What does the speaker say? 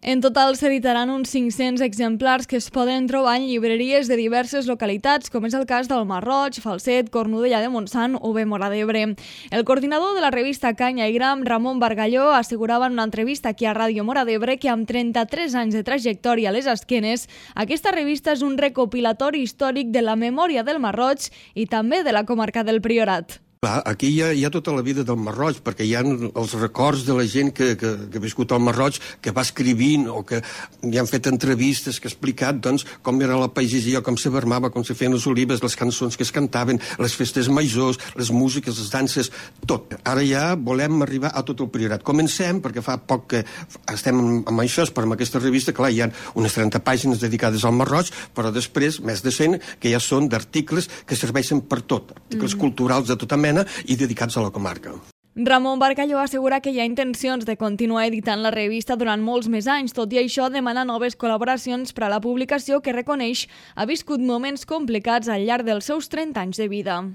En total s'editaran uns 500 exemplars que es poden trobar en llibreries de diverses localitats, com és el cas del Masroig, Falset, Cornudella de Montsant o bé Móra d'Ebre. El coordinador de la revista Canya i Gram, Ramon Bargalló, assegurava en una entrevista aquí a Ràdio Móra d'Ebre que amb 33 anys de trajectòria a les esquenes, aquesta revista és un recopilatori històric de la memòria del Masroig i també de la comarca del Priorat. Aquí hi ha tota la vida del Masroig, perquè hi ha els records de la gent que ha viscut al Masroig, que va escrivint o que hi han fet entrevistes, que ha explicat com era la pagesia, com se vermava, com se feien les olives, les cançons que es cantaven, les festes majors, les músiques, les danses, tot. Ara ja volem arribar a tot el Priorat. Comencem, perquè fa poc que estem amb això, però amb aquesta revista, clar, hi ha unes 30 pàgines dedicades al Masroig, però després, més de 100, que ja són d'articles que serveixen per tot, articles culturals de tota mena i dedicats a la comarca. Ramon Bargalló assegura que hi ha intencions de continuar editant la revista durant molts més anys, tot i això demana noves col·laboracions per a la publicació que reconeix ha viscut moments complicats al llarg dels seus 30 anys de vida.